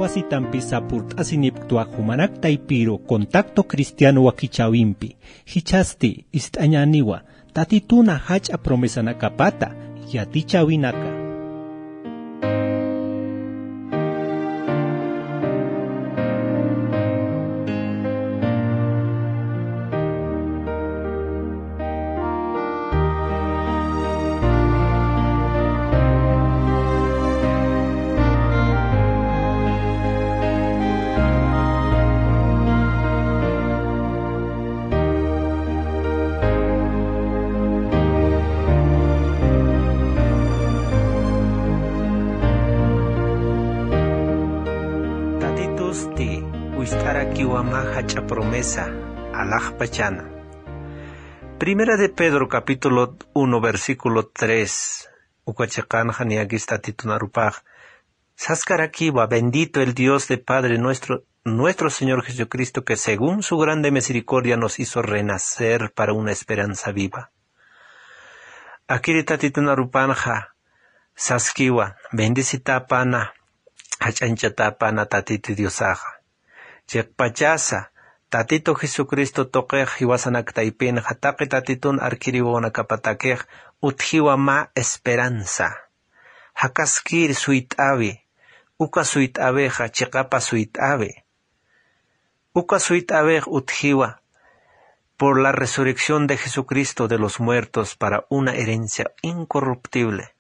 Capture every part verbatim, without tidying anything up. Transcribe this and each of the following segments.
Asitampi sapurt'asinipktwa jumanak taypiru Contacto Cristiano wakichäwimpi. Jichhasti ist'añäniwa Tatituna jach'a promesanakapata yatichäwinaka. Tatitusti wist'arakiwa mä jach'a promesa alaxpachana. Primera de Pedro, capítulo uno, versículo tres. Uka chiqanxa niyakis Tatitun arupax saskarakiwa: "Bendito el Dios de Padre nuestro, nuestro Señor Jesucristo, que según su grande misericordia nos hizo renacer para una esperanza viva". Akiri Tatitun arupanxa saskiwa: "Bendicitäpana, jach'añchatäpana Tatitu Diosaxa. Chiqpachasa Tatitu Jesucristo tuqix jiwasanak taypinxa, taqi Tatitun arkiri wawanakapatakix utjiwa mä esperanza. Jakaskir suyt'äwi, uka suyt'äwixa chiqapa suyt'äwi. Uka suyt'äwix utjiwa por la resurrección de Jesucristo de los muertos para una herencia incorruptible".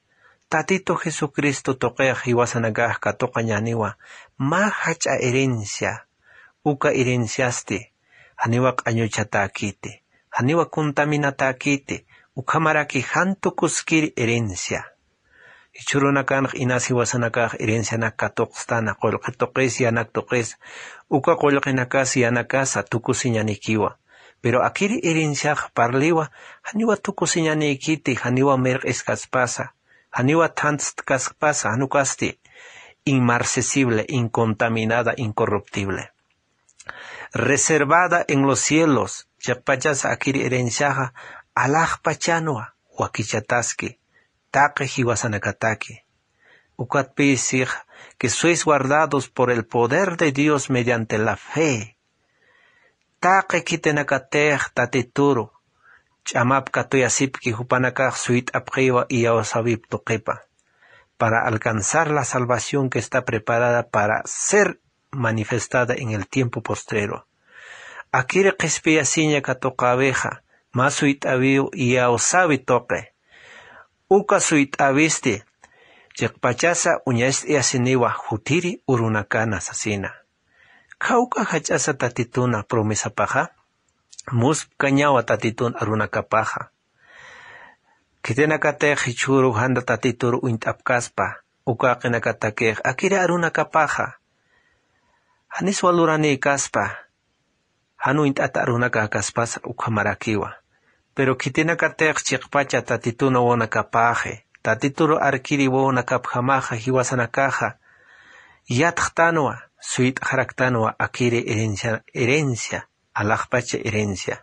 Tatitu Jesucristo tuqix jiwasanakax katuqañäniwa mä jach'a herencia. Uka herenciasti janiwa q'añuchatäkiti, janiwa contaminatäkiti, ukhamaraki jan tukuskir herencia. Jichhürunakanx inas jiwasanakax herencianak katuqstana, qullqi tuqis, yanak tuqis, uka qullqinakas yanakasa tukusiñanikiwa. Pero akiri herenciax parliwa, janiwa tukusiñanikiti, janiwa mirq'iskaspasa, janiwa thantstkaspasa, jan ukasti inmarcesible, incontaminada, incorruptible. Reservada en los cielos, chiqpachasa akiri herenciaxa alaxpachanwa, wakichataski, taqi jiwasanakataki. Ukatpï six, que sois guardados por el poder de Dios mediante la fe. Taqi khitinakatix Tatituru ch'amap katuyasipki, jupanakax suyt'apxiwa iyawsäwip tuqipa, para alcanzar la salvación que está preparada para ser manifestada en el tiempo postrero. Akiri qhispiyasiña katuqäwixa, mä suyt'äwiw iyawsäwi tuqi. Uka suyt'äwisti chiqpachasa uñacht'ayasiniwa jutiri urunakana sasina. Khawk'a jach'asa Tatituna promesapaxa, muspkañawa Tatitun arunakapaxa. Khitinakatix jichhüru janta Tatitur uñt'apkaspa, uka jaqinakatakix akiri arunakapaxa janis waluranïkaspa, jan uñt'ata arunakaspasa ukhamarakiwa. Pero khitinakatix chiqpacha Tatitun wawanakapaxi, Tatitur arkiri wawanakapjamaxa jiwasanakaxa yatxtanwa, suyt'xaraktanwa akiri herencia, herencia, alaxpacha herencia.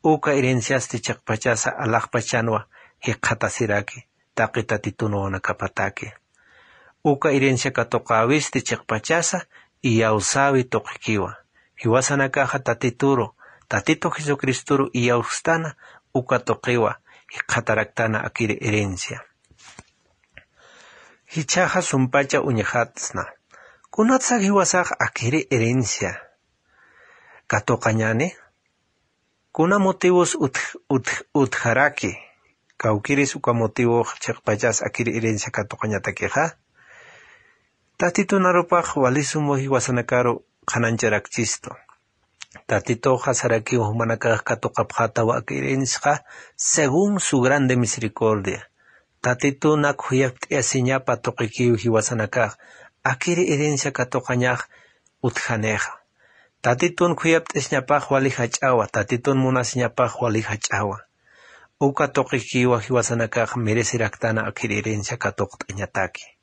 Uka herenciasti chiqpachasa alaxpachanwa jikxatasiraki taqi Tatitun wawanakapataki. Uka herencia katuqäwisti chiqpachasa iyawsäwi tuqikiwa. Jiwasanakaxa Tatituru, Tatitu Jesucristoru iyawstana, uka tuqiwa jikxataraktana akiri herencia. Jichhaxa sumpacha uñjatsna. Kunatsa jiwasax akiri herencia katuqañäni? Kuna motivos utj-, utj-, utjaraki? Kawkiris uka motivox chiqpachas akiri herencia katuqañatakixa. Tatitun arupax wali sum jiwasanakaru qhanañcharakchistu. Tatituxa sarakiw jumanakax katuqapxätawa aka herenciaxa según su grande misericordia. Tatituna khuyapt'ayasiñapa tuqikiw jiwasanakax akiri herencia katuqañax utjanixa. Tatitun khuyapt'asiñapax wali jach'awa, Tatitun munasiñapax wali jach'awa. Uka tuqikiwa jiwasanakax mereceraktana akiri herencia katuqt'añataki.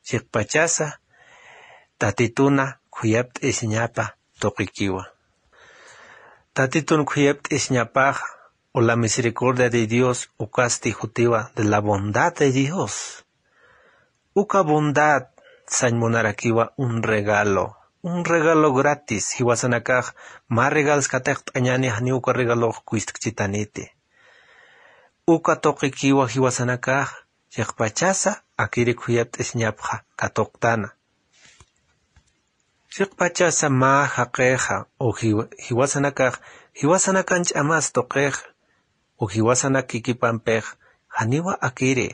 Chiqpachasa Tatituna khuyapt'ayasiñapa tuqikiwa. Tatitun khuyapt'ayasiñapax, o la misericordia de Dios, ukasti jutiwa de la bondad de Dios. Uka bondad, sañ munarakiwa un regalo, un regalo gratis. Jiwasanakax mä regalos katiqt'añäni, janiw uka regalox kuystkchitaniti. Uka tuqikiwa jiwasanakax chiqpachasa akiri khuyapt'isñapxa katuqtana. Chiqpachasa mä jaqixa u jiwa- jiwasanakax, jiwasanakan ch'amas tuqix u jiwasanak kikipampix janiwa akiri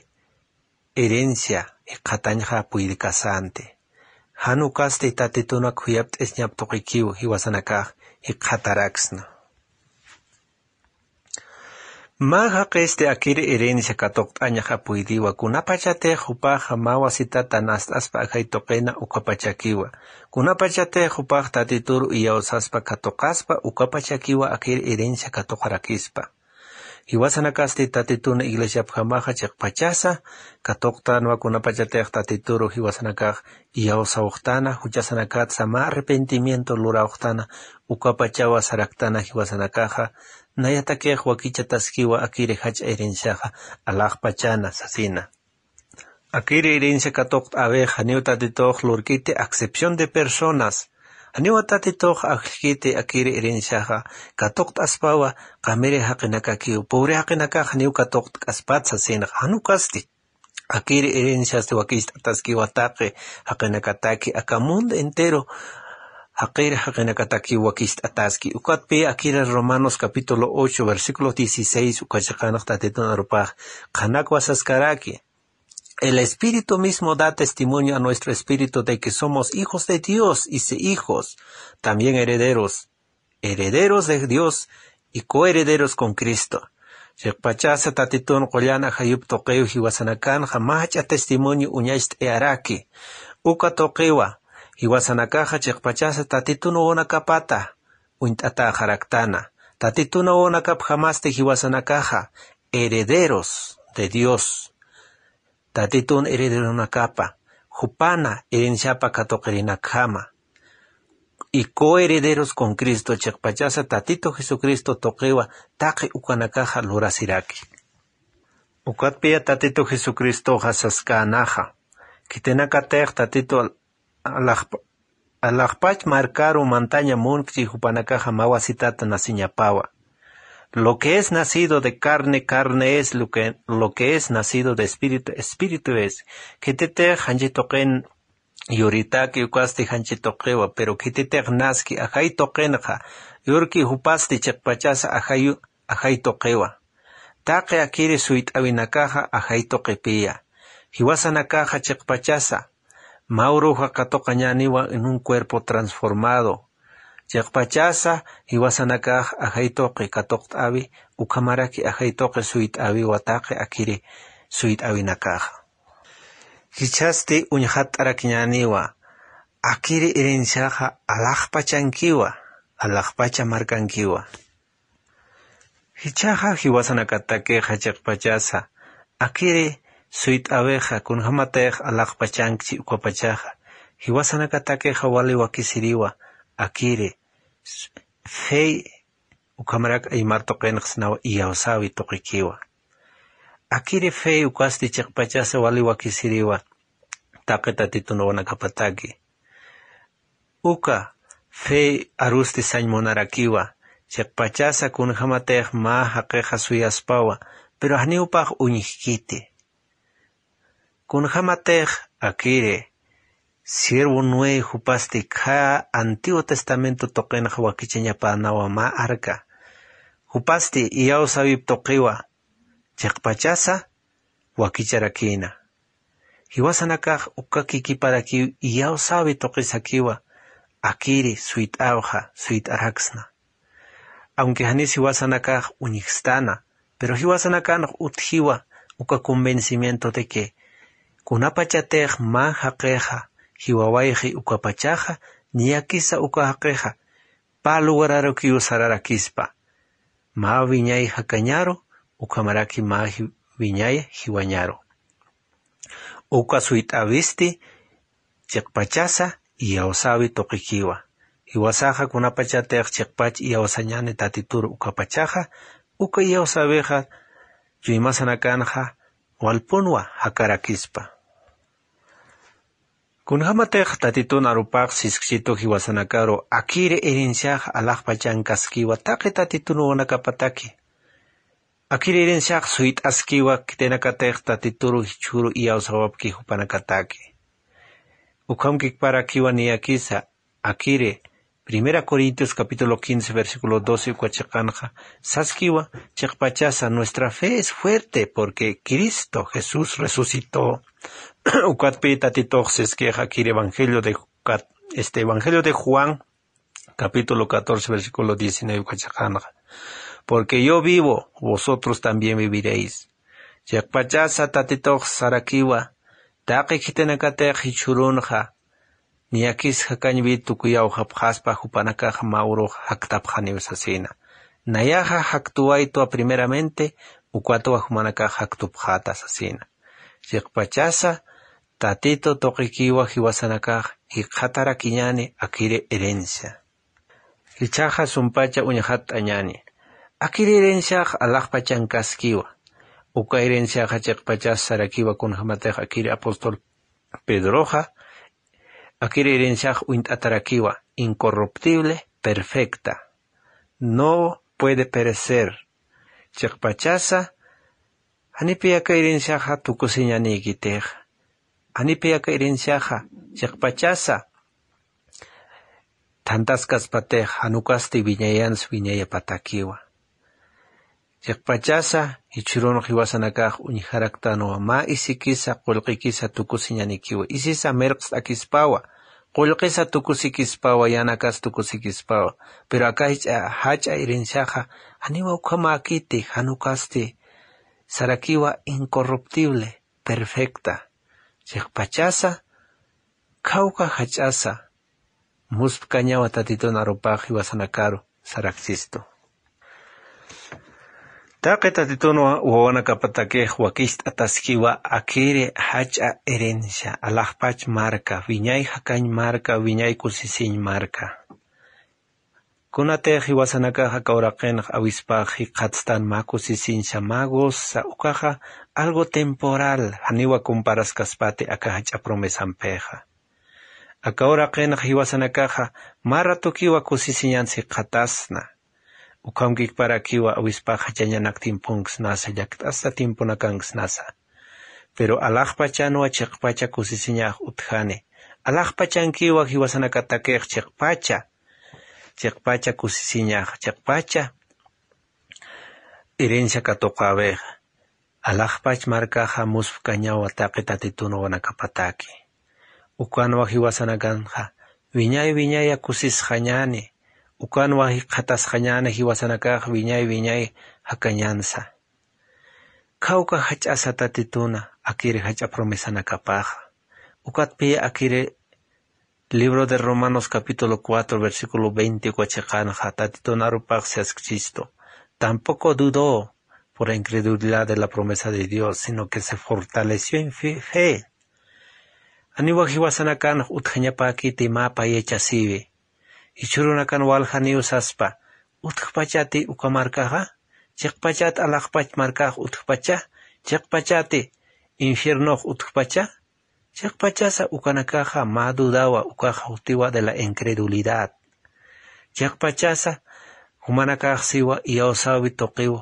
herencia jikxatañxa puydkasanti. Jan ukasti Tatitunak khuyapt'isñap tuqikiw jiwasanakax jikxataraksna. Mä jaqisti akiri herencia katuqt'añxa puydiwa, kunapachatix jupaxa mä wasitata nast'aspa ajay tuqina ukapachakiwa, kunapachatix jupax Tatitur iyawsaspa katuqaspa ukapachakiwa akiri herencia katuqarakispa. Jiwasanakasti Tatitun iglesiapjamaxa chiqpachasa katuqtanwa, kunapachatix Tatituru jiwasanakax iyawsawxtana, juchasanakatsa mä arrepentimiento lurawxtana, ukapachawa saraktana jiwasanakaxa, nayatakix wakichataskiwa akiri jach'a herenciaxa alaxpachana sasina. Akiri herencia katuqt'äwix janiw Tatitux lurkiti acepción de personas. Janiwa Tatitux ajllkiti akiri herenciaxa katuqt'aspawa qamiri jaqinakakiw, pobre jaqinakax janiw katuqtk'aspat sasinxa, jan ukasti. Akiri herenciasti wakicht'ataskiwa taqi jaqinakataki, aka mundo entero jaqiri jaqinakatakiw wakicht'ataski. Ukatpi akiri Romanos capítulo ocho, versículo dieciséis, uka chiqanx Tatitun arupax qhanakwa saskaraki. El Espíritu mismo da testimonio a nuestro espíritu de que somos hijos de Dios, y si hijos, también herederos, herederos de Dios y coherederos con Cristo. Chiqpachasa Tatitun qullan ajayup tuqiw jiwasanakanxa mach'a testimonio uñacht'ayaraki. Uka tuqiwa jiwasanakaxa chiqpachasa Tatitun wawanakapata uñt'ataxaraktana. Tatitun wawanakapjamasti jiwasanakaxa herederos de Dios. Tatitun herederonakapa, jupana herenciapa katuqirinakjama. Y coherederos con Cristo, chiqpachasa Tatitu Jesucristo tuqiwa taqi ukanakaxa lurasiraki. Ukatpiya Tatitu Jesucristoxa saskanaxa, khitinakatix Tatitu al- alaxpa- alaxpach markaru mantaña munkchi jupanakaxa mä wasitata nasiñapawa. Lo que es nacido de carne, carne es, lo que, lo que es nacido de espíritu, espíritu es. Khititix janchi tuqin yuritaki ukasti janchi tuqiwa, pero khititix naski ajay tuqinxa, yurki jupasti chiqpachasa ajay, ajay tuqiwa. Taqi akiri suyt'awinakaxa ajay tuqipiya. Jiwasanakaxa chiqpachasa mä uruxa katuqañäniwa en un cuerpo transformado. Chiqpachasa jiwasanakax ajay tuqi katuqt'äwi, ukhamaraki ajay tuqi suyt'äwiwa taqi akiri suyt'awinakaxa. Jichhasti uñjatt'arakiñäniwa, akiri herenciaxa alaxpachankiwa, alaxpacha markankiwa. Jichhaxa jiwasanakatakixa chiqpachasa akiri suyt'äwixa kunjämatix alaxpachankchi ukapachaxa, jiwasanakatakixa wali wakisiriwa akiri fe, ukhamarak aymar tuqinxa sinawa iyawsäwi tuqikiwa. Akiri fe ukasti chiqpachasa wali wakisiriwa taqi Tatitun wawanakapataki. Uka fe arusti sañ munarakiwa, chiqpachasa kunjämatix mä jaqixa suyaspawa, pero janiw jupax uñjkiti. Kunjämatix akiri siervo Noé jupasti khä Antiguo Testamento tuqinxa wakichañapänawa mä arca. Jupasti iyawsäwip tuqiwa, chiqpachasa wakicharaki. Jiwasanakax uka kikiparakiw iyawsäwi tuqisakiwa, akiri suyt'awxa, suyt'araksna. Aunque janis jiwasanakax uñjstana, pero jiwasanakanx utjiwa uka convencimiento de que kunapachatix mä jaqixa jiwawayxi ukapachaxa, niyakisa uka jaqixa pä lugararukiw sararakispa. Mä wiñay jakañaru, ukhamaraki mä ji- wiñay jiwañaru. Uka suyt'äwisti chiqpachasa iyawsäwi tuqikiwa. Jiwasaxa kunapachatix chiqpach iyawsañäni Tatitur ukapachaxa, uka iyawsäwixa chuymasanakanxa walpunwa jakarakispa. Kunjämatix tatitun arupax siskchitu jiwasanakaru akiri herenciax alaxpachankaskiwa taqi tatitun wawanakapataki. Akiri herenciax suyt'askiwa khitinakatix tatituru jichhüru iyawsawapki jupanakataki. Ukhamkikparakiwa niyakisa akiri Primera Corintios capítulo quince versículo doce uka chiqanxa saskiwa, chiqpachasa nuestra fe es fuerte porque Cristo Jesús resucitó. Ukatpi tatitux siskix akiri evangelio de Cat- este evangelio de Juan capítulo catorce versículo diecinueve uka chiqanxa, porque yo vivo, vosotros también viviréis. Chiqpachasa tatitux sarakiwa taqi khitinakatix jichhürunxa niyakis jakañwi tukuyawxapxaspa jupanakax mä urux jaktapxaniw sasina. Nayaxa jaktuwaytwa primeramente, ukatwa jumanakax jaktupxäta sasina. Chiqpachasa tatitu tuqikiwa jiwasanakax jikxatarakiñäni akiri herencia. Jichhaxa sumpacha uñxatt'añäni. Akiri herenciax alaxpachankaskiwa. Uka herenciaxa chiqpachas sarakiwa kunjämatix akiri apóstol Pedroxa akiri herenciax uñt'atarakiwa, incorruptible, perfecta. No puede perecer. Chiqpachasa janipi aka herenciaxa tukusiñanïkitix. Janipi aka herenciaxa chiqpachasa thantaskaspatix jan ukasti wiñayansa wiñayapatakiwa. Chiqpachasa jichhürun jiwasanakax uñjaraktanwa mä isikisa qullqikisa tukusiñanikiwa, isisa mirqst'akispawa, qullqisa tukusikispawa, yänakas tukusikispawa. Pero aka jach'a jach'a herenciaxa janiwa ukhamäkiti, jan ukasti sarakiwa incorruptible, perfecta. Chiqpachasa khawka jach'asa muspkañawa tatitun arupax jiwasanakaru saraksistu. Taqi tatitun wawanakapatakix wakicht'ataskiwa akiri jach'a herencia, alaxpach marka, wiñay jakañ marka, wiñay kusisiñ marka. Kunatix jiwasanakax aka uraqinx awispax jikxatstan mä kusisiñsa mä gozosa, ukaxa algo temporal, janiwa comparaskaspati aka jach'a promesampixa. Aka uraqinx jiwasanakaxa mä ratukiwa kusisiñans jikxatasna. Ukhamkikparakiwa awispax jachañanak tiemponksnasa, llakt'asta tiemponakanksnasa. Pero alaxpachanwa chiqpacha kusisiñax utjani. Alaxpachankiwa jiwasanakatakix chiqpacha, chiqpacha kusisiñax, chiqpacha herencia katuqäwixa. Alaxpach markaxa muspkañawa taqi tatitun wawanakapataki. Ukanwa jiwasanakanxa wiñay wiñaya kusisxañäni. Ukanwa jikxatasxañäni jiwasanakax wiñay wiñay jakañansa. Khawka jach'asa tatituna akiri jach'a promesanakapaxa. Ukatpiya akiri libro de Romanos capítulo cuatro versículo veinte uka chiqanxa tatitun arupax saskchistu: Tampoco dudó por la incredulidad de la promesa de Dios, sino que se fortaleció en fe. Janiwa jiwasanakanx utjañapäkiti mä payachasiwi. Jichhürunakan waljaniw saspa: ¿Utjpachati uka markaxa? ¿Chiqpachat alaxpach markax utjpacha? ¿Chiqpachati infiernox utjpacha? Chiqpachasa ukanakaxa mä dudawa, ukaxa jutiwa de la incredulidad. Chiqpachasa jumanakax siwa iyawsäwi tuqiw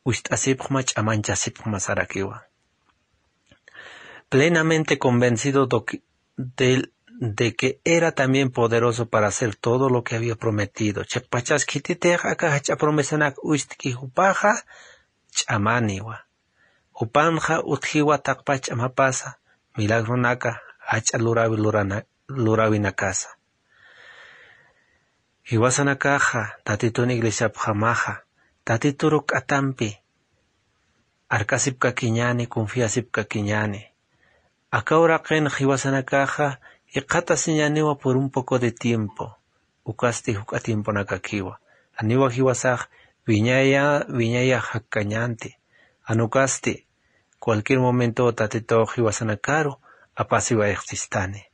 ucht'asipxma, ch'amanchasipxma sarakiwa. Plenamente convencido de que, de, de que era también poderoso para hacer todo lo que había prometido. Chiqpachas khititix aka jach'a promesanak ucht'ki jupaxa ch'amaniwa. Jupanxa utjiwa taqpach ch'amapasa, milagronaka, jach'a lurawi lurana-, lurawinakasa. Jiwasanakaxa tatitun iglesiapjamaxa tatituru k'atampi arkasipkakiñäni, confiasipkakiñäni. Aka uraqin jiwasanakaxa jikxatasiñäniwa por un poco de tiempo, ukasti juk'a tiemponakakiwa. Janiwa jiwasax wiñaya, wiñayax jakkañänti. Jan ukasti cualquier momento tatitux jiwasanakaru apasiwayxchistani.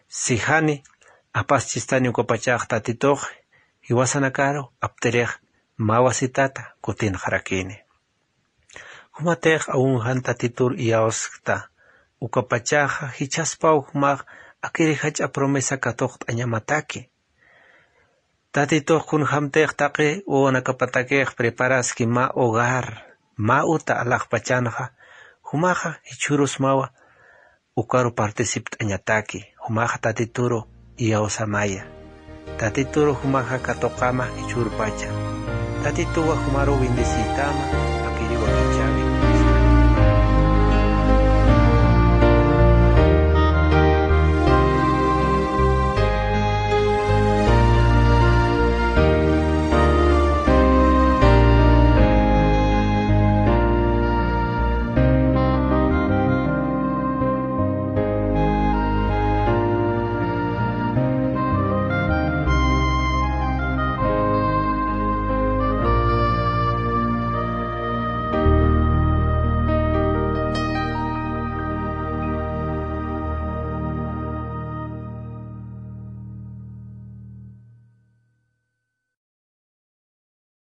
Si jani apaschistani ukapachax tatitux jiwasanakaru aptirix mä wasitata kutinxarakini. Jumatix aun jan tatitur iyawskta Ukapachaxa jichhaspaw jumax akiri jach'a promesa katuqt'añamataki. Tatitux kunjämtix taqi wawanakapatakix preparaski mä hogar, mä uta alaxpachanxa, jumaxa jichhürusmawa ukaru participt'añataki. Jumaxa tatituru iyawsamaya. Tatituru jumaxa katuqama jichhürpacha. Tatituwa jumaru bendeciytama.